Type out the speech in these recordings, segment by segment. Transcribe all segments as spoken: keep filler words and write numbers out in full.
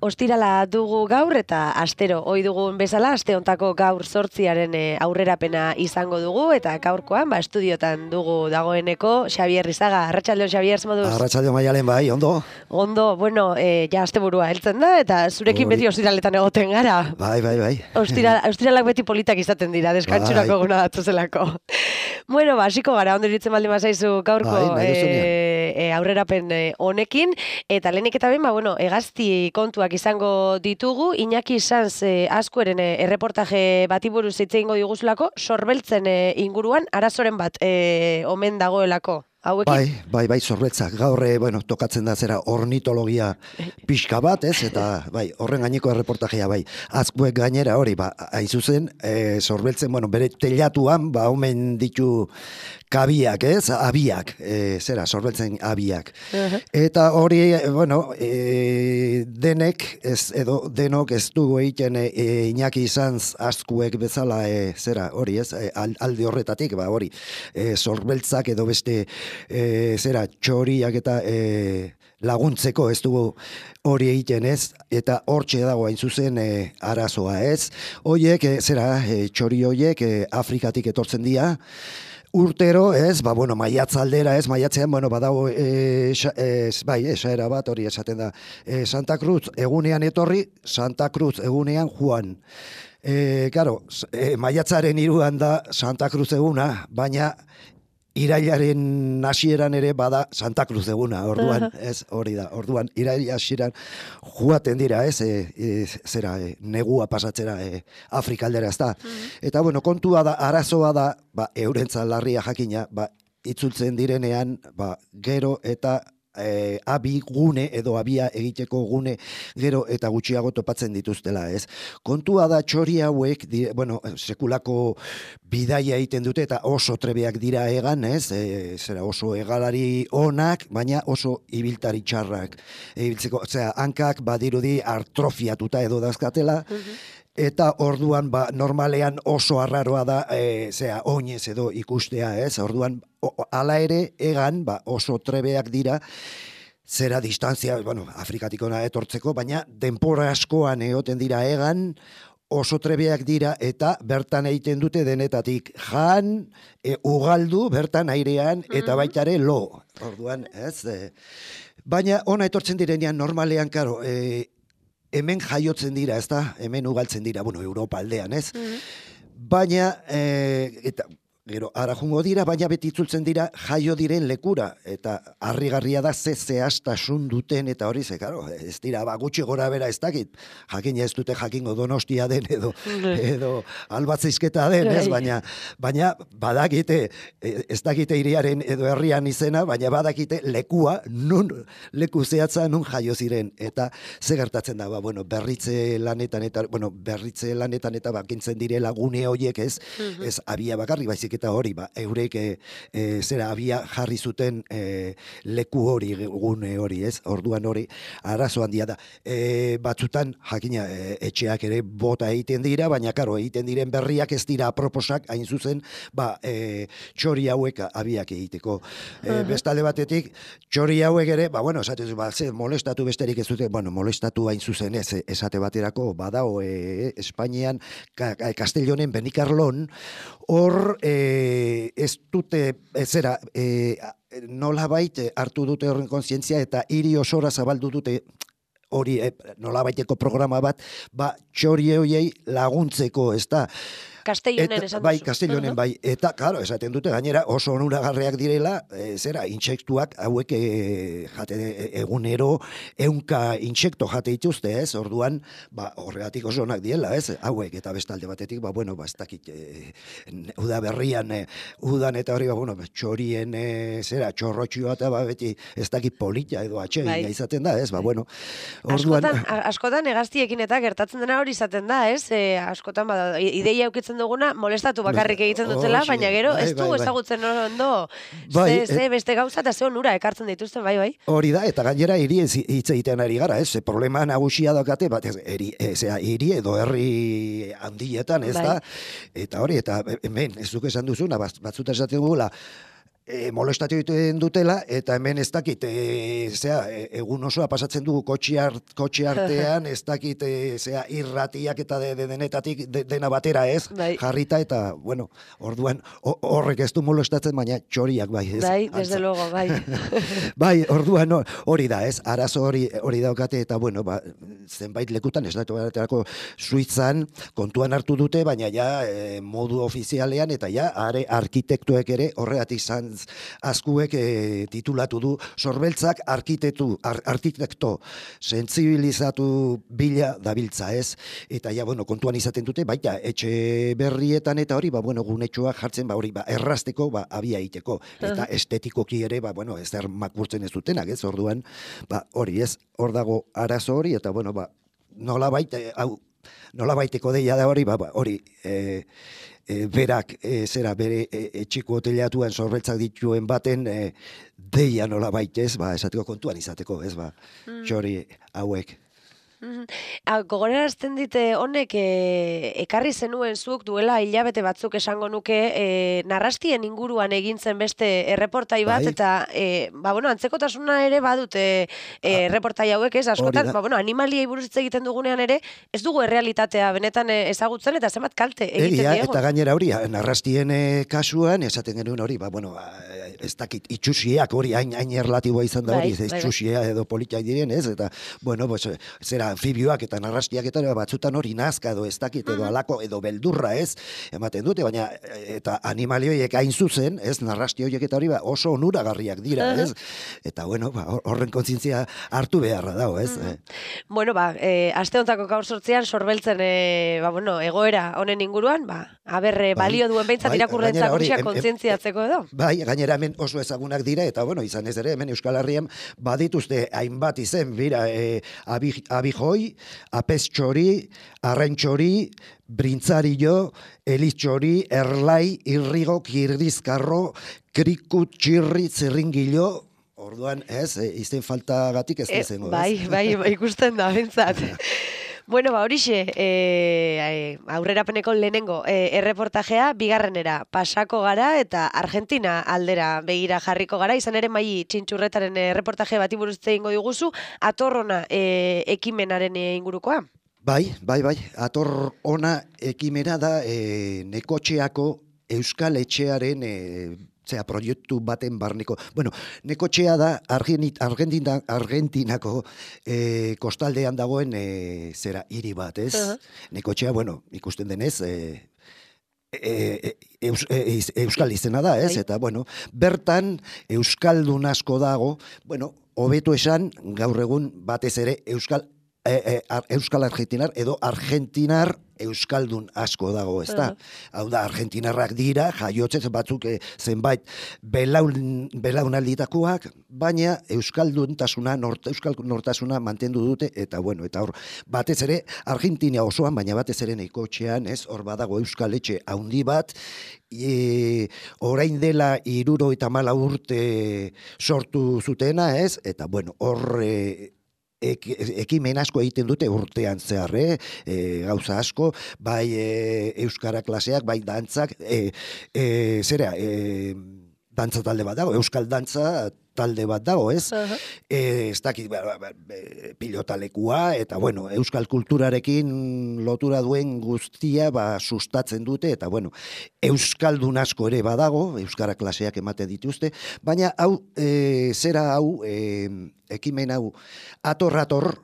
Ostirala dugu gaur eta astero ohi dugun bezala aste hontako gaur zortziaren aurrerapena izango dugu eta gaurkoan ba estudiotan dugu dagoeneko Xabier Rizaga. Arratsaldeon Xabier, moduz? Arratsaldeon Maialen, bai, ondo. Ondo, bueno, eh, ja asteburua heltzen da eta zurekin beti ostiraletan egoten gara. Bai, bai, bai. Ostira, ostiralak beti politak izaten dira, deskantsurako eguna datozelako. Bueno, ba, hasiko gara, ondo iritzen baldin bazaizu gaurko bai, e, e, aurrerapen honekin, eta lehenik eta ben, ba, bueno, hegazti kontuak izango ditugu, Iñaki Sanz e, Azkueren e, erreportaje bati buruz hitz egingo diguzulako, sorbeltzen e, inguruan arazoren bat e, omen dagoelako. Hauekin? Bai, bai, bai, sorbeltzak. Gaur, bueno, tokatzen da zera ornitologia pixka bat, ez? Eta, bai, horren gaineko erreportajea, bai. Azkuek gainera hori, ba, aizuzen, e, sorbeltzen, bueno, bere telatuan, ba, omen ditu kabiak, ez? Abiak, e, zera, sorbeltzen abiak. Uh-huh. Eta hori, bueno, e, denek, ez, edo denok ez dugu egiten e, Iñaki Sanz Azkuek bezala, e, zera, hori, ez? E, alde horretatik, ba, hori, e, sorbeltzak edo beste E, zera, txoriak eta e, laguntzeko ez dugu hori egiten ez, eta hortxe dago hain zuzen e, arazoa ez. Hoiek, e, zera, e, txori hoiek e, Afrikatik etortzen dira, urtero, ez, ba, bueno, maiatzaldera, ez, maiatzean, bueno, badago, e, e, bai, esaera bat, hori esaten da, e, Santa Cruz egunean etorri, Santa Cruz egunean joan. E, claro, e, maiatzaren hiruan da Santa Cruz eguna, baina irailaren hasieran ere bada Santa Cruz eguna, orduan, ez, hori da, orduan, irail hasieran joaten dira, ez, e, e, zera, e, negua pasatzera e, Afrikaldera, ez da. Eta, bueno, kontua da, arazoa da, ba, eurentzat larria jakina, ba, itzultzen direnean, ba, gero eta E, abi gune edo abia egiteko gune gero eta gutxiago topatzen dituztela, ez? Kontua da txori hauek, di, bueno, sekulako bidaia egiten dute eta oso trebeak dira egan, ez? E, zera oso egalari onak, baina oso ibiltari txarrak. Ibiltzeko, osea, hankak badirudi artrofiatuta edo dazkatela, eta orduan, ba, normalean oso arraroa da, e, zera, oinez edo ikustea, ez? Orduan, o, ala ere, egan, ba, oso trebeak dira, zera distantzia, bueno, Afrikatik ona etortzeko, baina denpora askoan egoten dira egan, oso trebeak dira, eta bertan egiten dute denetatik jan, e, ugaldu, bertan airean, eta baitare lo. Orduan, ez? E, baina ona etortzen direnean, normalean, karo, e, hemen jaiotzen dira, ez da? Hemen ugaltzen dira, bueno, Europa aldean, ez? Mm-hmm. Baina, e, eta, gero, ara jungo dira, baina beti itzultzen dira jaio diren lekura, eta harrigarria da ze zehaztasun duten, eta hori ze, karo, ez dira, ba, gutxi gora bera ez dakit, jakina ez dute jakingo Donostia den, edo, edo Albatzizketa den, ez? Baina, baina badakite, ez dakite hiriaren edo herrian izena, baina badakite lekua, nun leku zehatza, nun jaio ziren, eta ze gertatzen da, ba, bueno, berritze lanetan, eta, bueno, berritze lanetan, eta bakintzen direla gune horiek, ez? Mm-hmm. Ez abia bakarrik, baizik eta hori, ba, eurek e, e, zera abia jarri zuten e, leku hori, gune hori, ez? Orduan hori, arazo handia da. E, batzutan, jakina, e, etxeak ere bota egiten dira, baina, karo, egiten diren berriak ez dira aproposak, hain zuzen, ba, e, txori hauek abiak egiteko. E, bestalde batetik, txori hauek ere, ba, bueno, esatez, ba, ze, molestatu besterik ez dute, bueno, molestatu hain zuzen ez, esate baterako, badao, e, Espainian, ka, Castellonen, Benikarlon, hor, e, ez dute, ez zera, e, nolabait hartu dute horren kontzientzia eta hiri osora zabaldu dute hori e, nolabaiteko programa bat, ba, txori horiei laguntzeko, ez da. Castellonen esan duzu. Bai, Castellonen bai. Eta, claro, esaten dute gainera oso onuragarriak direla, e, zera, intsektuak hauek e, jate egunero ehunka intsekto jate dituzte, ez? Orduan, ba, horregatik oso onak diela, ez? Hauek eta bestalde batetik, ba, bueno, ba, ez dakit, e, uda berrian, e, udan eta hori, ba, bueno, txorien, e, zera, txorrotxioa eta ba, beti ez dakit polita edo atsegina bai. Izaten da, ez? Ba, bueno, orduan... Askotan, askotan egaztiekin eta gertatzen dena hori izaten da, ez? E, askotan, bada, ideia eukitzen duguna, molestatu bakarrik egiten dutela, oh, baina gero bai, ez du bai, ezagutzen ondo, bai, ze, ze beste gauza eta ze onura ekartzen dituzten, bai, bai. Hori da, eta gainera hiri hitz egiten ari gara, ez? Problema nagusia daukate, bat ez, eri, ezea, hiri edo herri handietan, ez bai. Da? Eta hori, eta hemen, ez duk esan duzuna, batzuta esaten dugula, E, molestatu egiten dutela, eta hemen ez dakit, e, zera, e, egun osoa pasatzen dugu kotxe, art, kotxe artean, ez dakit, e, zera, irratiak eta de, de denetatik de, dena batera ez, bai. Jarrita, eta, bueno, orduan, horrek ez du molestatzen, baina txoriak bai. Ez, bai, desde luego, bai. Bai, orduan, hori da, ez, arazo hori, hori daukate, eta, bueno, ba, zenbait lekutan, ez datu baterako Suitzan, kontuan hartu dute, baina ja, e, modu ofizialean, eta ja, are arkitektuek ere horregatik izan askuek e, titulatu du sorbeltzak arkitektu, ar, arkitekto sentsibilizatu bila dabiltza, ez? Eta ja, bueno, kontuan izaten dute, baita, etxe berrietan eta hori, ba, bueno, gunetxoak jartzen, ba, hori, ba, errazteko, ba, abia iteko. Eta estetikoki ere, ba, bueno, ez der makurtzen ez dutenak, ez? Orduan, ba, hori, ez? Hor dago arazo hori, eta, bueno, ba, nola baita, hau, nola baiteko deia da hori, ba, ba hori, e, E, berak, e, zera, bere e, etxiko hoteleatuan sorbeltzak dituen baten e, deia nola baitez, ba, esateko kontuan izateko, ez, ba, mm. txori hauek. Gogorarazten dite honek e, ekarri zenuen zuk duela hilabete batzuk esango nuke e, narrastien inguruan egin zen beste erreportai bat, bai. Eta e, ba, bueno, antzekotasuna ere badute e, erreportai hauek, ez, askotan, ba, bueno, animaliei buruz hitz egiten dugunean ere, ez dugu errealitatea benetan ezagutzen eta zenbat kalte egiten Egia, diego. Eta gainera hori, narrastien e, kasuan, esaten genuen hori, ba, bueno, ez dakit, itxusiak hori hain, hain erlatiboa izan da hori, bai, ez itxusia edo politiak diren, ez, eta, bueno, pues, zera, anfibioak eta narrastiak eta batzutan hori nazka edo ez dakit edo alako edo beldurra, ez, ematen dute, baina eta animalioiek hain zuzen, ez, narrasti horiek eta hori ba, oso onuragarriak dira, ez, eta bueno, ba, horren kontzientzia hartu beharra dago, ez. Uh-huh. Bueno, ba, e, aste hontako gaur sortzean sorbeltzen, e, ba, bueno, egoera honen inguruan, ba, aber, bai, balio duen behintzat bai, irakurrentzak gutxia kontzientziatzeko edo. Bai, gainera hemen oso ezagunak dira, eta bueno, izan ez ere, hemen Euskal Herrian badituzte hainbat izen, bira, e, abijoi, apestxori, arrentxori, brintzarillo, elitxori, erlai, irrigo, kirdizkarro, krikut, txirri, zirringilo, orduan, ez, e, izen faltagatik ez da izango, ez? Bai, bai, bai, ikusten da, bentsat. Bueno, ba, horixe, e, aurrerapeneko lehenengo e, erreportajea, bigarrenera pasako gara eta Argentina aldera begira jarriko gara, izan ere Mai Txintxurretaren erreportaje bati buruz hitz egingo diguzu, atorrona e, ekimenaren ingurukoa. Bai, bai, bai, atorrona ekimena da e, Nekotxeako Euskal Etxearen e, zera, proiektu baten barneko. Bueno, Nekotxea da Argentina, Argentinako e, kostaldean dagoen e, zera hiri bat, ez? Uh-huh. Nekotxea, bueno, ikusten denez, e, e, e, eus, e, Euskal izena da, ez? Uh-huh. Eta, bueno, bertan Euskaldun asko dago, bueno, hobeto esan, gaur egun batez ere Euskal E, e, Euskal Argentinar edo Argentinar Euskaldun asko dago, ez da? Uh-huh. Hau da, Argentinarrak dira, jaiotzez batzuk e, zenbait belaun, belaunalditakoak, baina Euskalduntasuna, nort, Euskal nortasuna mantendu dute, eta bueno, eta hor, batez ere, Argentina osoan, baina batez ere Nekotxean, ez, hor badago Euskal Etxe handi bat, e, orain dela hiruro eta mala urte sortu zutena, ez, eta bueno, hor... E, ekimen asko egiten dute urtean zehar, eh? E, gauza asko, bai e, euskara klaseak, bai dantzak, e, e, zera, e, dantza talde bat dago, euskal dantza talde bat dago, ez? Uh-huh. E, ez dakit, ba, ba, pilotalekua, eta bueno, euskal kulturarekin lotura duen guztia ba, sustatzen dute, eta bueno, euskaldun asko ere badago, euskara klaseak ematen dituzte, baina hau, e, zera hau, e, ekimen hau, ator-ator,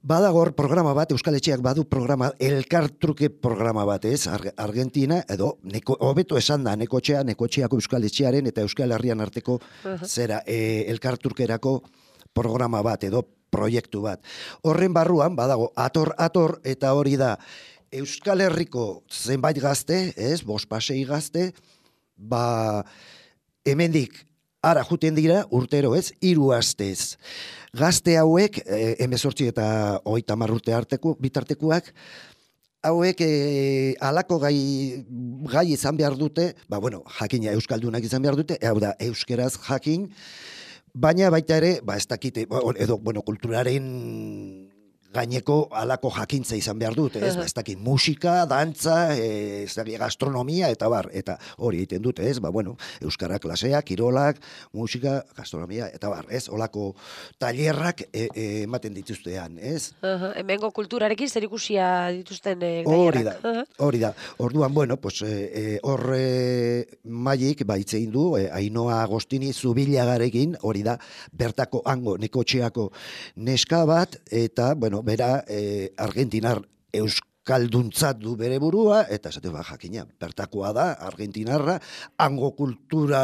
Badagor programa bat, Euskal Etxeak badu programa, elkartruke programa bat, ez? Ar Argentina, edo, neko, hobeto esan da, nekotxea, nekotxeako Euskal Etxearen eta Euskal Herrian arteko uh-huh. zera, e, elkartrukerako programa bat, edo proiektu bat. Horren barruan, badago, ator-ator, eta hori da, Euskal Herriko zenbait gazte, ez? Bost pasei gazte, ba, hemendik, ara juten dira, urtero ez, hiru astez. Gazte hauek, eh, emezortzi eta hogeita hamar urte arteko, bitartekoak, hauek eh, alako gai, gai izan behar dute, ba bueno, jakina euskaldunak izan behar dute, hau da, euskeraz jakin, baina baita ere, ba ez dakite, edo, bueno, kulturaren gaineko alako jakintza izan behar dute, ez? Ba, ez dakit, musika, dantza, e, ez dakit, gastronomia, eta bar, eta hori egiten dute, ez? Ba, bueno, euskara klaseak, kirolak, musika, gastronomia, eta bar, ez? Olako tailerrak e, e, ematen dituztean, ez? Uh-huh. Hemengo kulturarekin zer ikusia dituzten e, hori da, hori da. Orduan, bueno, pues, e, hor e, maik, ba, itzein du, e, Ainoa Agostini Zubilagarekin, hori da, bertako hango, nekotxeako neska bat, eta, bueno, bera eh, argentinar euskalduntzat du bere burua, eta esate ba, jakina, bertakoa da, argentinarra, hango kultura,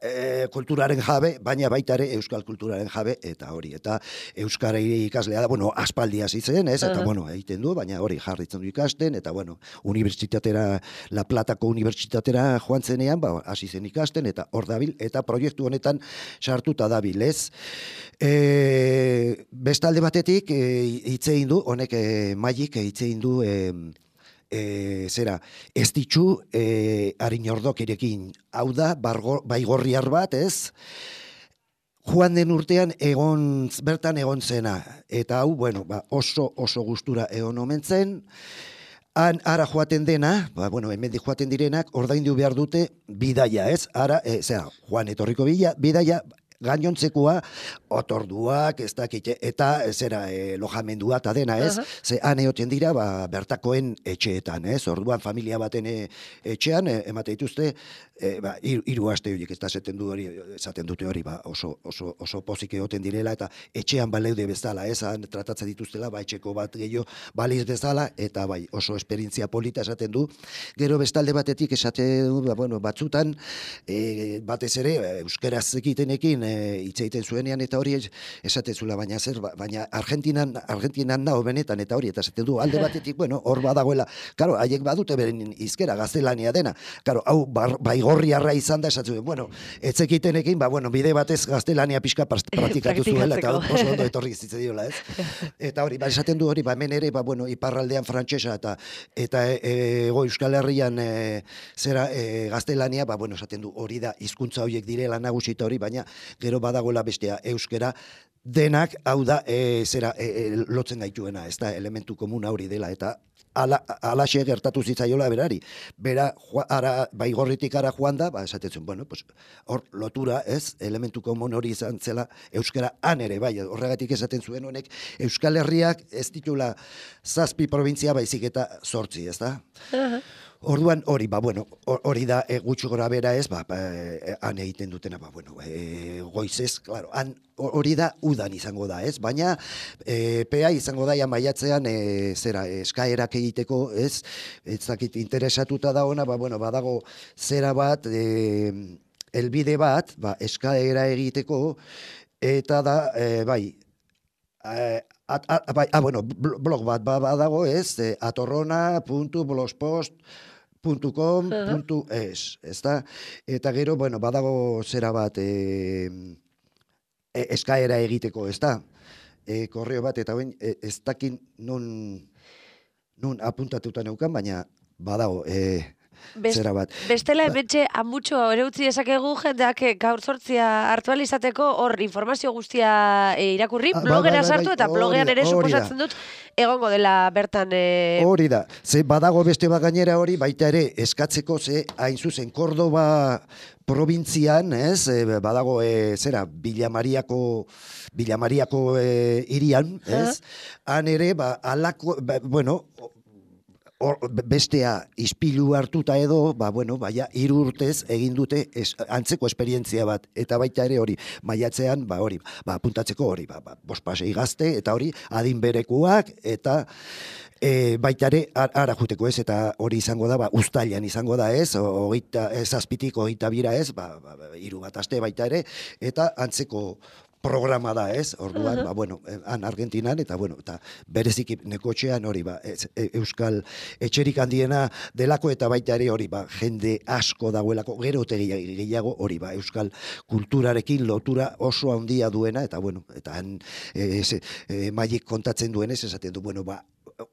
eh, kulturaren jabe, baina baita ere euskal kulturaren jabe, eta hori, eta euskara ikaslea da, bueno, aspaldi hasi zen, ez, eta, uh-huh. bueno, egiten du, baina hori jarritzen du ikasten, eta, bueno, unibertsitatera, La Platako unibertsitatera joan zenean, ba, hasi zen ikasten, eta hor dabil, eta proiektu honetan sartuta dabil, ez. E, bestalde batetik, e, hitzein du, honek e, maik hitzein du, e, e, zera, ez ditxu e, Arinordokirekin, hau da, bargo, baigorriar bat, ez? Joan den urtean egon, bertan egon zena, eta hau, bueno, ba, oso, oso gustura egon omen zen, han ara joaten dena, ba, bueno, hemendik joaten direnak, ordaindu behar dute bidaia, ez? Ara, e, zera, Juan etorriko bila, bidaia, gainontzekoa, otorduak, ez dakit, eta zera e, lojamendua eta dena, ez? Uh-huh. Ze han egoten dira, ba, bertakoen etxeetan, ez? Orduan familia baten e, etxean, e, emate dituzte, e, ba, hiru aste horiek, ez da esaten du hori, esaten dute hori, ba, oso, oso, oso pozik egoten direla, eta etxean baleude bezala, ez? Han tratatzen dituztela, ba, etxeko bat gehiago baliz bezala, eta bai, oso esperientzia polita esaten du. Gero bestalde batetik esaten du, ba, bueno, batzutan, e, batez ere, euskaraz egitenekin, hitz egiten zuenean eta hori esaten zula, baina zer, baina Argentinan, Argentinan nao benetan eta hori, eta esaten du alde batetik, bueno, hor badagoela, karo, haiek badute beren izkera, gaztelania dena, karo, hau bar, baigorriarra izan da, esatzen zuen, bueno, etzekitenekin, ba, bueno, bide batez gaztelania pixka praktikatu zuela, eta oso ondo etorri zitze diola, ez? Eta hori, ba, esaten du hori, ba, hemen ere, ba, bueno, iparraldean frantsesa eta eta ego Euskal Herrian e, zera e, gaztelania, ba, bueno, esaten du hori da, hizkuntza horiek direla nagusi eta hori, baina gero badagoela bestea euskera, denak, hau da, e, zera, e, e, lotzen gaituena, ez da, elementu komuna hori dela, eta ala, alaxe gertatu zitzaiola berari. Bera, joa, ara, baigorritik ara joan da, ba, esatetzen, bueno, pues, hor lotura, ez, elementu komun hori izan zela, euskera han ere, bai, horregatik esaten zuen honek, Euskal Herriak ez ditula zazpi provintzia baizik eta zortzi, ez da? Uh-huh. Orduan hori, ba, bueno, hori da e, gutxi gora bera ez, ba, ba, han egiten dutena, ba, bueno, e, goizez, claro, han hori da udan izango da, ez? Baina e, pea izango da ja maiatzean e, zera eskaerak egiteko, ez? Ez dakit interesatuta da ona, ba, bueno, badago zera bat, e, elbide bat, ba, eskaera egiteko, eta da, e, bai, e, At, at, bai, ah, bueno, blog bat badago, ez, e, atorrona puntu blogspot puntu com puntu es, ezta? Eta gero, bueno, badago zera bat e, e, eskaera egiteko, ezta? E, korreo bat, eta ben, e, ez dakin nun, nun apuntatuta neukan, baina badago, e, Best, zera bat. Bestela, ebetxe, amutxo ere utzi esakegu jendeak gaur sortzia hartu alizateko, hor informazio guztia e, irakurri, ah, blogera bai, bai, sartu, bai, eta blogean ere suposatzen dut, egongo dela bertan... E... Hori da, ze badago beste bat gainera hori, baita ere eskatzeko, ze hain zuzen, Kordoba probintzian, ez, e, badago, e, zera, Villamariako... Villamariako e, irian, ez, han ere, ba, alako, ba, bueno... or, bestea ispilu hartuta edo, ba, bueno, baina hiru urtez egin dute es, antzeko esperientzia bat, eta baita ere hori, maiatzean, ba, hori, ba, apuntatzeko hori, ba, ba, bospasei gazte, eta hori, adin berekuak, eta E, baita ere, ara juteko ez, eta hori izango da, ba, uztailan izango da ez, hogeita, ez azpitik, hogeita bira ez, ba, ba, ba, hiru bat aste baita ere, eta antzeko programa da ez, orduan, uh-huh. ba, bueno, han Argentinan, eta bueno, eta bereziki nekotxean hori, ba, ez, e, Euskal etxerik handiena delako, eta baita ere hori, ba, jende asko dagoelako, gero ote gehiago hori, ba, Euskal kulturarekin lotura oso handia duena, eta bueno, eta han, e, ez, e, maik kontatzen duenez, esaten du, bueno, ba,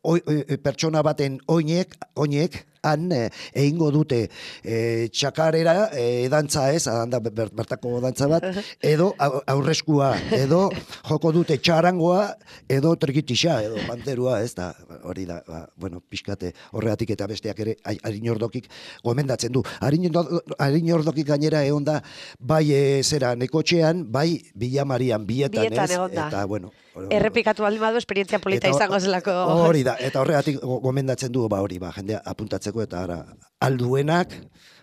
O, e, pertsona baten oinek, oinek, han e, egingo dute e, txakarera e, dantza ez, da ber, bertako dantza bat, edo aurreskua, edo joko dute txarangoa, edo trikitixa, edo panterua, ez da, hori da, ba, bueno, pixkate horregatik eta besteak ere, Arinordokik gomendatzen du. Arinordokik gainera egon da, bai e, zera nekotxean, bai Villamarian, bietan, bietan ez, egon da. Eta, bueno, errepikatu baldin badu esperientzia polita eta, izango zelako. Hori da, eta horregatik gomendatzen du, ba hori, ba, jendea apuntatzeko eta ara alduenak,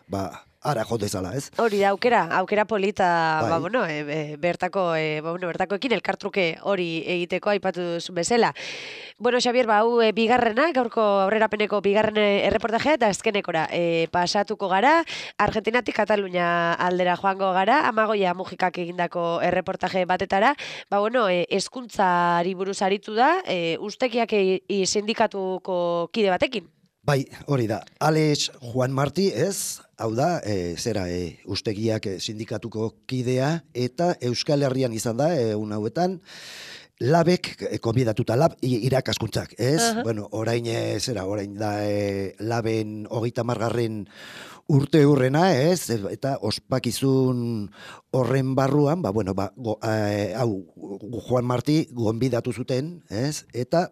ba, ara jo dezala, ez? Hori da, aukera, aukera polita, bai. ba, bueno, e, e, bertako, e, ba, bueno, bertakoekin elkartruke hori egiteko aipatu duzun bezala. Bueno, Xabier, ba, hau e, bigarrena, gaurko aurrerapeneko bigarren erreportajea, eta azkenekora e, pasatuko gara, Argentinatik Katalunia aldera joango gara, Amagoia Mujikak egindako erreportaje batetara, ba, bueno, e, hezkuntzari buruz aritu da, e, ustekiak e, sindikatuko kide batekin. Bai, hori da. Alex Juan Martí, ez? Hau da, e, zera, e, ustegiak e, sindikatuko kidea, eta Euskal Herrian izan da, egun hauetan, labek, e, konbidatuta lab, irakaskuntzak, ez? Uh-huh. Bueno, orain, e, zera, orain da, e, laben hogeita margarren urte hurrena, ez? Eta ospakizun horren barruan, ba, bueno, ba, go, e, hau, Juan Martí gonbidatu zuten, ez? Eta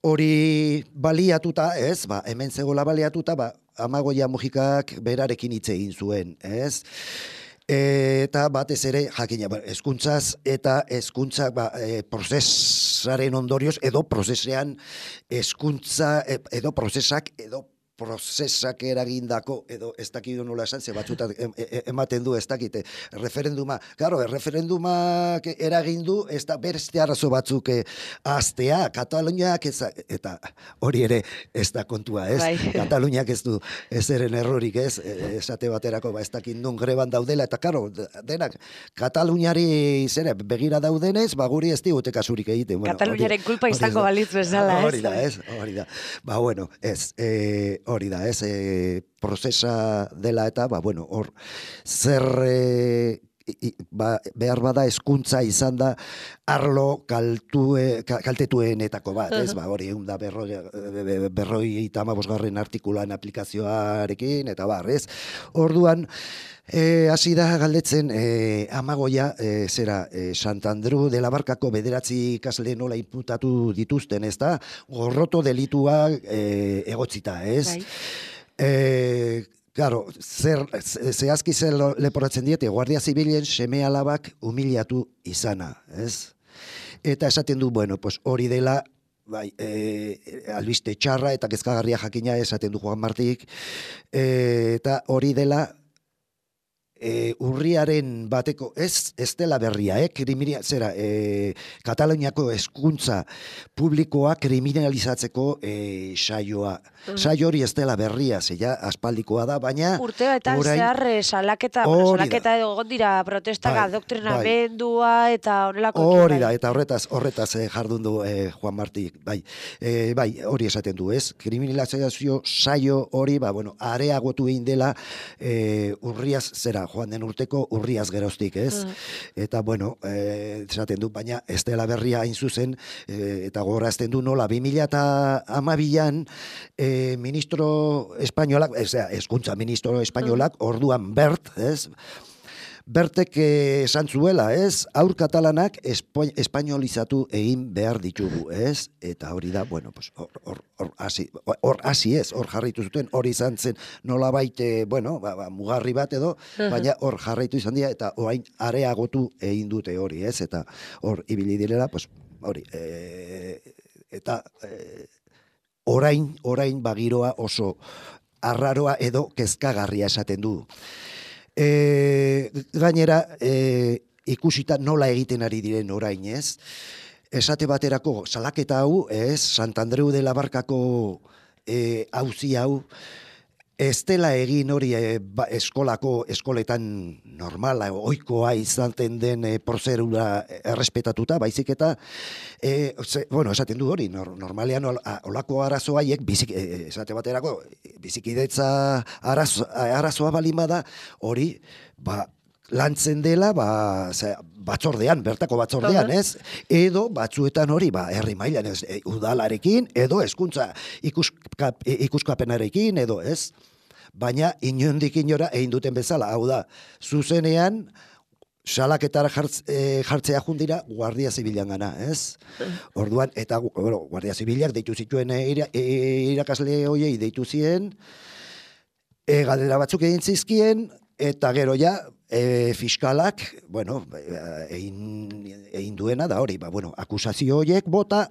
hori baliatuta, ez, ba, hemen zegoela baliatuta, ba, Amagoia Mujikak berarekin hitz egin zuen, ez? Eta batez ere, jakina, ba, hezkuntzaz eta hezkuntza ba, e, prozesaren ondorioz, edo prozesean hezkuntza, edo prozesak, edo prozesak eragindako, edo ez dakidu nola esan, ze batzutat ematen du ez dakite, referenduma, claro, referendumak eragindu, ez da berste arazo batzuk aztea, Kataluniak ez, eta hori ere ez da kontua, ez? Bai. Kataluniak ez du ez eren errorik, ez? Esate baterako, ba, ez dakit nun greban daudela, eta claro, denak, Kataluniari zere, begira daudenez, ba, guri ez digute kasurik egiten. Bueno, Kataluniaren kulpa izango balitz bezala, ez? Hori da, ez? Hori da. Ba, bueno, ez, eh, hori da, ez, e, prozesa dela eta, ba, bueno, hor, zer e, i, ba, behar bada hezkuntza izan da arlo kaltue, kaltetuenetako bat, ez, ba, hori, egun da berroi, berroi eta amabosgarren artikulan aplikazioarekin, eta bar, ez, orduan, E, hasi da galdetzen e, Amagoia e, zera e, Santandru de la Barkako bederatzi ikasle nola inputatu dituzten, ez da, gorroto delitua e, egotzita, ez? Bai. E, Claro, zer, zehazki zer leporatzen diete, Guardia Zibilen seme alabak humiliatu izana, ez? Eta esaten du, bueno, pues hori dela, bai, e, albiste txarra eta kezkagarria jakina esaten du Juan Martik, e, eta hori dela, E, urriaren bateko, ez, ez dela berria, eh? Kriminia, zera, e, Kataluniako hezkuntza publikoa kriminalizatzeko e, saioa. Mm. Saio hori ez dela berria, zeia, aspaldikoa da, baina... Urteetan orain... zehar salaketa, bueno, salaketa egon dira protestak, bai, adoktrinamendua bai. Eta honelako... Hori da, eta horretaz, horretaz eh, jardun du eh, Juan Martí, bai, e, bai, hori esaten du, ez? Kriminalizazio saio hori, ba, bueno, areagotu egin dela e, urriaz, zera, joan den urteko urriaz geroztik, ez? Mm. Eta, bueno, e, esaten du, baina ez dela berria hain zuzen, e, eta gogorazten du nola, bi mila hamabian e, ministro espainolak, ez da, hezkuntza ministro espainolak, mm. orduan Bert, ez? Bertek esan zuela, ez? Aur katalanak espainolizatu egin behar ditugu, ez? Eta hori da, bueno, pues, hor, hor, hor, hasi, hor, hasi ez, hor jarritu zuten, hori izan zen nola baite, bueno, ba, ba, mugarri bat edo, baina hor jarraitu izan dira, eta orain areagotu egin dute hori, ez? Eta hor ibili direla, pues, hori, e, eta... E, orain, orain bagiroa oso arraroa edo kezkagarria esaten du. E, gainera, e, ikusita nola egiten ari diren orain, ez? Esate baterako, salaketa hau, ez, Santandreu de la Barkako e, auzi hau, ez dela egin hori e, ba, eskolako, eskoletan normala, ohikoa izaten den e, prozedura errespetatuta, baizik eta, e, ze, bueno, esaten du hori, nor, normalean ol, a, olako arazo haiek, bizik, e, esate baterako, bizikidetza arazo, arazoa balimada, hori, ba, lantzen dela, ba, ze, batzordean, bertako batzordean, uh-huh. ez? Edo batzuetan hori, ba, herri mailan, ez, e, udalarekin, edo hezkuntza ikuskap, ikuskapenarekin, edo, ez? Baina inondik inora egin duten bezala, hau da, zuzenean salaketara jartz, e, jartzea jundira Guardia Zibilan gana, ez? Orduan, eta bueno, Guardia Zibilak deitu zituen e, ira, e, irakasle hoiei deitu zien, e, galdera batzuk egin zizkien, eta gero ja, e, fiskalak, bueno, egin, egin duena da hori, ba, bueno, akusazio horiek bota,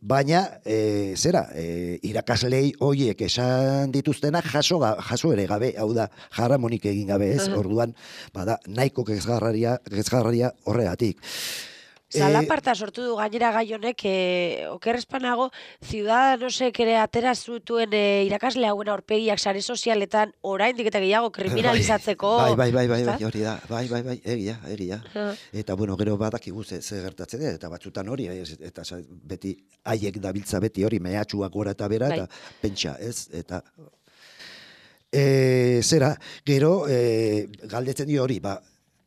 baina, e, zera, e, irakaslei horiek esan dituztenak jaso, jaso ere gabe, hau da, jaramonik egin gabe ez, uh-huh. Orduan, bada, nahiko kezgarraria, kezgarraria horregatik. Zalaparta sortu du gainera gai honek, eh, okerrespanago, Ciudadanosek ere atera zutuen eh, irakasle hauen aurpegiak sare sozialetan oraindik eta gehiago kriminalizatzeko. Bai, bai, bai, bai, bai, hori da, bai, bai, bai, egia, egia. Uh-huh. Eta, bueno, gero badakigu ze, ze gertatzen da, eta batzutan hori, eta beti, haiek dabiltza beti hori, mehatxuak gora eta bera, bai. Eta pentsa, ez, eta... E, zera, gero, e, galdetzen dio hori, ba,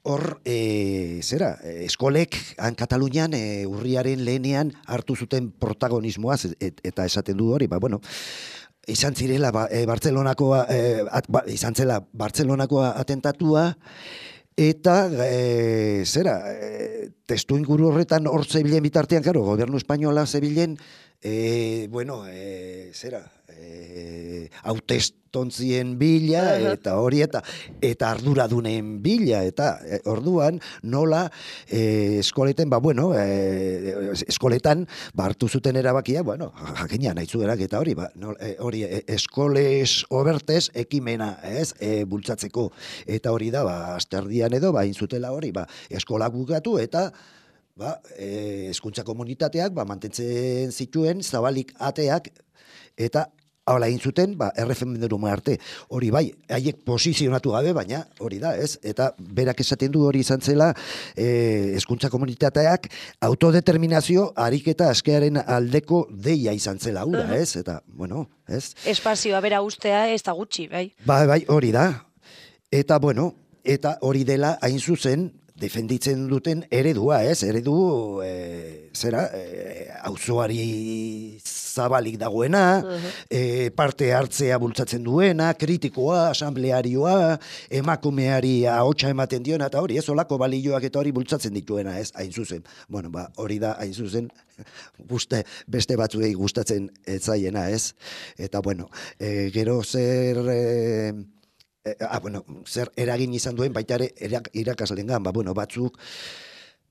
hor, e, zera, eskolek, han Katalunian, e, urriaren lehenean hartu zuten protagonismoaz, et, eta esaten du hori, ba, bueno, izan zirela, ba, e, Bartzelonakoa, e, at, ba, izan zela, Bartzelonakoa atentatua, eta, e, zera, e, testu inguru horretan hor zebilen bitartean, karo, gobernu espainola zebilen, e, bueno, e, zera, e, hautestontzien bila, eta hori, eta eta arduradunen bila, eta e, orduan nola e, eskoleten, ba, bueno, e, eskoletan, ba, hartu zuten erabakia, bueno, jakina, nahi zuerak, eta hori, ba, no, e, hori, e, eskoles obertez ekimena, ez, e, bultzatzeko, eta hori da, ba, asterdian edo, ba, inzutela hori, ba, eskolak bukatu, eta ba, e, hezkuntza komunitateak, ba, mantentzen zituen, zabalik ateak, eta hala egin zuten, ba, erreferenduma arte. Hori bai, haiek posizionatu gabe, baina hori da, ez? Eta berak esaten du hori izan zela, eh, hezkuntza komunitateak autodeterminazio ariketa askearen aldeko deia izan zela hura, uh-huh. ez? Eta, bueno, ez? Espazioa bera ustea ez da gutxi, bai? Bai, bai, hori da. Eta, bueno, eta hori dela hain zuzen, defenditzen duten eredua, ez? Eredu, e, zera, e, auzoari zabalik dagoena, uh-huh. e, parte hartzea bultzatzen duena, kritikoa, asamblearioa, emakumeari ahotsa ematen diona, eta hori, ez, olako balioak eta hori bultzatzen dituena, ez? Hain zuzen. Bueno, ba, hori da, hain zuzen, guste, beste batzuei gustatzen etzaiena, ez? Eta, bueno, e, gero zer... E, Ah, bueno, zer eragin izan duen baita ere irakaslengan, ba, bueno, batzuk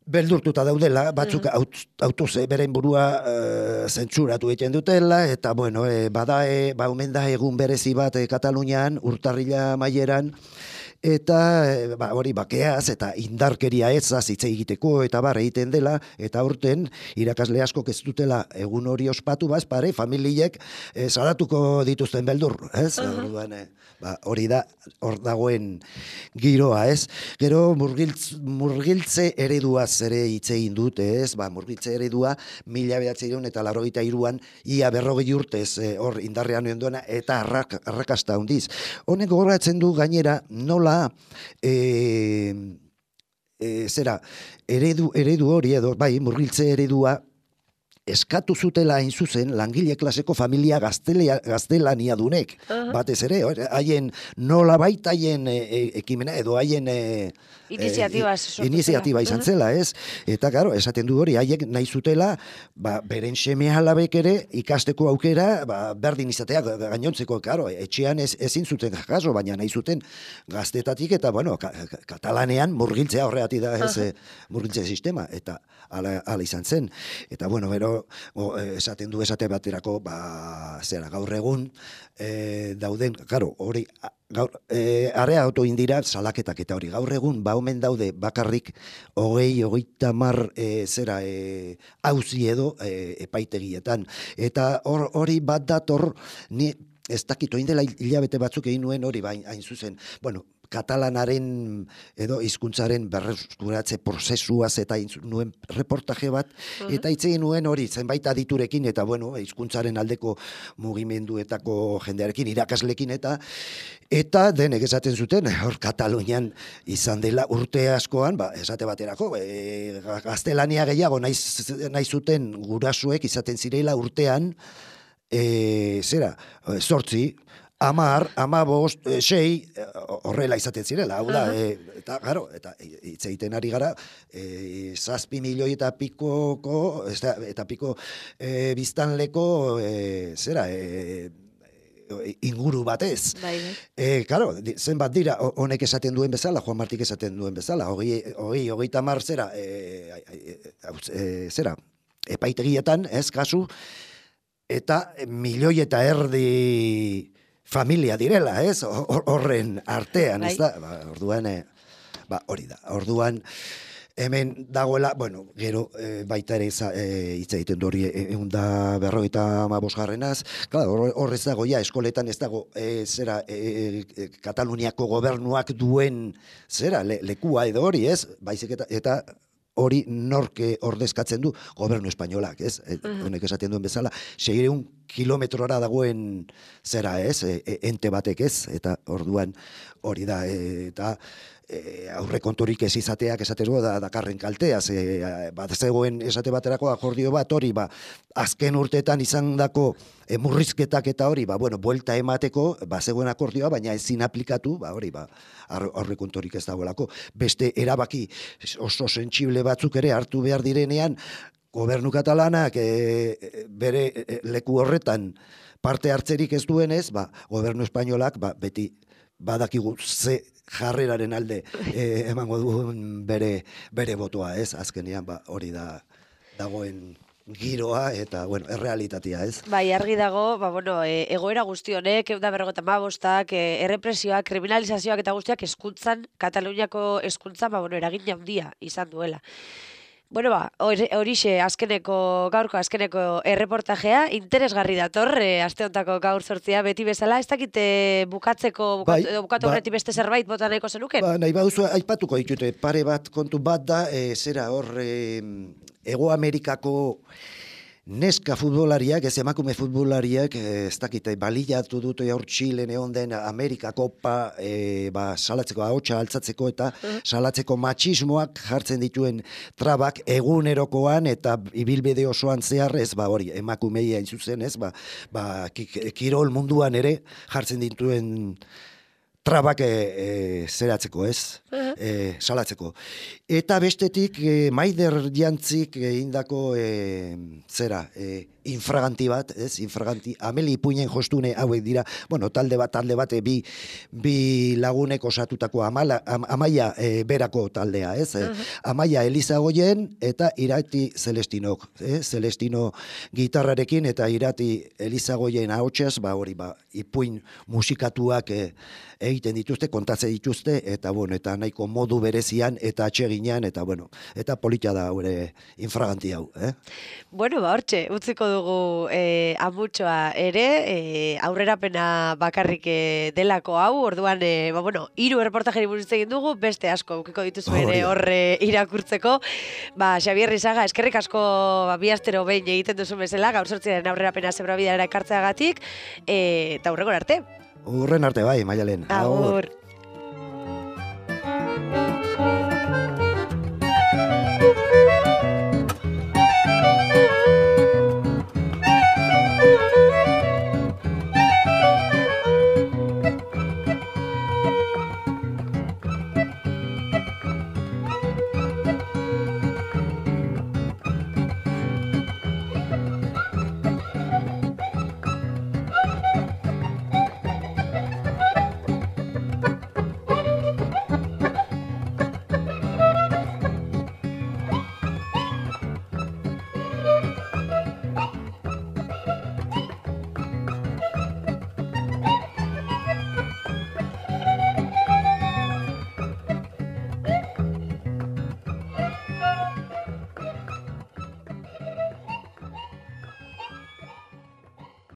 beldurtuta daudela, batzuk mm. autoze beren burua uh, zentzuratu egiten dutela, eta, bueno, e, bada, e, ba, omen da egun berezi bat e, Katalunian, urtarrila maieran, eta ba, hori bakeaz eta indarkeria ezaz hitz egiteko eta bar egiten dela, eta aurten irakasle askok ez dutela egun hori ospatu, baz, pare, familiek e, salatuko dituzten beldur, ez? Uh-huh. Orduan, e, ba, hori da, hor dagoen giroa, ez? Gero murgiltz, murgiltze ereduaz ere hitz egin dute, ez? Ba, murgiltze eredua mila bederatziehun eta laurogeita hiruan ia berrogei urtez e, hor indarrean oen duena eta arrak, arrakasta handiz. Honek gogoratzen du gainera nola e, e, zera eredu, eredu hori edo bai murgiltze eredua eskatu zutela hain zuzen langile klaseko familia gaztelea, gaztelania dunek. Uh-huh. Batez ere, haien nola baita haien e, e, ekimena edo haien e, iniziatiba, e, iniziatiba izan uh-huh. zela, ez? Eta, karo, esaten du hori, haiek nahi zutela, ba, beren seme alabek ere ikasteko aukera, ba, berdin izatea gainontzeko, karo, etxean ez, ezin zuten jaso, baina nahi zuten gaztetatik, eta, bueno, ka, ka, katalanean murgiltzea horreati da, ez, uh-huh. murgiltze sistema, eta ala, ala izan zen. Eta, bueno, bero o, o, esaten du esate baterako, ba, zera, gaur egun, e, dauden, claro, hori, gaur, e, areagotu indira salaketak eta hori, gaur egun, ba, omen daude bakarrik, hogei, hogeita mar, e, zera, e, auzi edo e, epaitegietan. Eta hor, hori bat dator, ni, ez dakit, oin dela hilabete batzuk egin nuen hori, bain, hain zuzen, bueno, katalanaren edo hizkuntzaren berreskuratze prozesuaz eta nuen reportaje bat, uh-huh. eta hitz egin nuen hori, zenbait aditurekin, eta bueno, hizkuntzaren aldeko mugimenduetako jendearekin, irakaslekin, eta eta denek esaten zuten, hor Katalunian izan dela urte askoan, ba, esate baterako, e, gaztelania gehiago nahi, nahi zuten gurasuek izaten zirela urtean, e, zera, zortzi, amar, amabost, sei, horrela izaten zirela, hau da, e, eta, garo, eta hitz egiten ari gara, e, zazpi milioi eta pikoko, eta, eta piko e, biztanleko, e, zera, e, inguru batez. Bai, e, claro, zenbat dira, honek esaten duen bezala, Juan Martik esaten duen bezala, hogei, hogei, hogeita mar, zera, e, e, zera, epaitegietan, ez, kasu, eta milioi eta erdi familia direla, ez? Horren artean, ez da? Ba, orduan, e, ba, hori da. Orduan, hemen dagoela, bueno, gero e, baita ere e, hitz egiten du hori egun da berrogeita hamabosgarrenaz, claro, horrez dago ja, eskoletan ez dago, e, zera, e, e, Kataluniako gobernuak duen, zera, le, lekua edo hori, ez? Baizik eta, eta hori norke ordezkatzen du gobernu espainolak, ez? Honek esaten duen bezala, seiehun kilometrora dagoen zera, ez? E, e, ente batek, ez? Eta orduan hori da, e, eta e, aurrekonturik ez izateak esateko da dakarren kaltea, ze bat zegoen esate baterako akordio bat hori, ba, azken urteetan izandako e, murrizketak eta hori, ba, bueno, buelta emateko, ba, zegoen akordioa, baina ezin aplikatu, ba, hori, ba, aurrekonturik ez dagoelako. Beste erabaki oso sentsible batzuk ere hartu behar direnean, gobernu katalanak e, bere e, leku horretan parte hartzerik ez duenez, ba, gobernu espainolak ba, beti badakigu ze jarreraren alde e, emango duen bere, bere botoa, ez? Azkenean ba, hori da dagoen giroa eta, bueno, errealitatea, ez? Bai, argi dago, ba, bueno, e, egoera guzti honek, egun da berrogeta hamabostak, e, errepresioak, kriminalizazioak eta guztiak eskuntzan, Kataluniako eskuntzan, ba, bueno, eragin handia izan duela. Bueno, ba, horixe azkeneko, gaurko azkeneko erreportajea, interesgarri dator, e, aste hontako gaur sortzia, beti bezala, ez dakite bukatzeko, bukatu, bai, bukatu ba, horreti beste zerbait bota nahiko zenuken? Ba, nahi baduzu, aipatuko ditute, pare bat kontu bat da, e, zera hor, e, Ego Amerikako neska futbolariak, ez emakume futbolariak, ez dakite, balillatu dute hor Txilen egon den Amerika Kopa, e, ba, salatzeko, ahotsa altzatzeko eta salatzeko matxismoak jartzen dituen trabak egunerokoan eta ibilbide osoan zehar, ez, ba, hori, emakumei hain zuzen, ez, ba, ba, kirol munduan ere jartzen dituen trabak e, e, zeratzeko, ez, e, salatzeko. Eta bestetik, e, Maider Jantzik egindako e, zera, e, infraganti bat, ez, infraganti, Ameli Ipuinen jostune hauek dira, bueno, talde bat, talde bat, e, bi, bi lagunek osatutako amala, am, Amaia e, berako taldea, ez, e, Amaia Elizagoien eta Irati Celestinok, e, Celestino gitarrarekin eta Irati Elizagoien ahotsaz, ba, hori, ba, Ipuin musikatuak e, egiten dituzte, kontatze dituzte, eta bueno, eta nahiko modu berezian, eta atseginean, eta bueno, eta politia da gure infraganti hau, eh? Bueno, ba, hortxe, utziko dugu eh, amutxoa ere, eh, aurrerapena bakarrik eh, delako hau, orduan, eh, ba, bueno, hiru erreportajeri buruz egin dugu, beste asko, ukiko dituzu ere horre irakurtzeko, ba, Xabier Rizaga, eskerrik asko, ba, bi astero behin egiten duzu bezala, gaur sortziaren aurrerapena zebra bidara ekartzeagatik, eh, eta aurreko arte. Urren arte bai, Maialen. Agur.